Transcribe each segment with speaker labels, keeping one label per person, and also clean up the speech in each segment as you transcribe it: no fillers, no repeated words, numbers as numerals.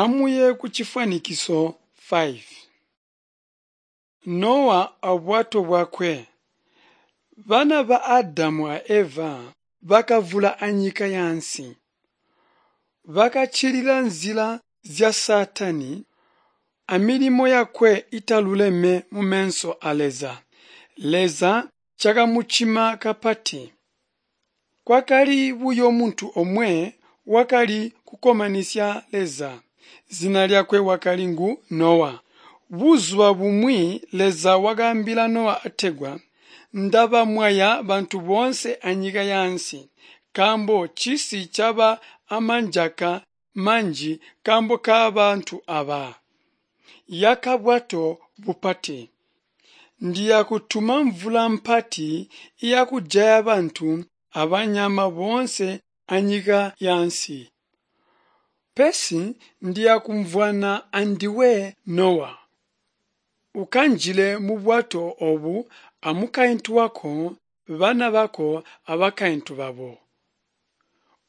Speaker 1: Amuye kucifwanikiso 5. Nowa abwato bwakwe. Bana ba Adamu a Eva bakavwula anyika yaansi. Bakaccilila nzila zya Saatani amilimo yakwe italuleme mumeso a Leza. Leza cakamucima kapati. Kwakali buyo muntu omwe wakali kukkomanisya Leza. Zina lyakwe wakali ngu Nowa. Buzuba bumwi Leza wakaambila Nowa ategwa, Ndabamwaya bantu boonse anyika yaansi, nkaambo cisi caba amanjaka manji nkaambo kabantu aba. Yaka bwato bupati. Ndiyakutuma mvula mpati iyakujaya bantu abanyama boonse anyika yaansi. Pesi ndiyakumvwana andiwe Nowa. Ukanjile mubwato obu amukaintu wako, bana bako abakaintu babo.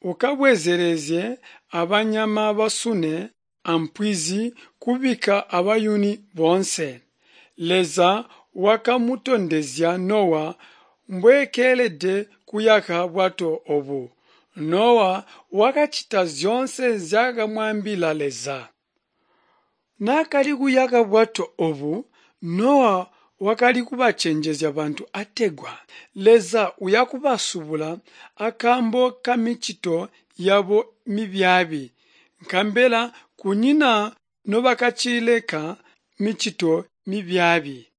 Speaker 1: Ukabwezelezye abanyama basune ampwizi kubikka abayuni boonse. Leza wakamutondezya Nowa mbweekelede kuyaka bwato obu. Nowa wakacita zyoonse nzyaakamwaambila Leza. Naakali kuyaka bwato obu, Nowa wakali kubacenjezya bantu ategwa Leza uyakubasubula akaambo kamicito yabo mibyaabi, nkabela kunyina nobakacileka micito mibyaabi.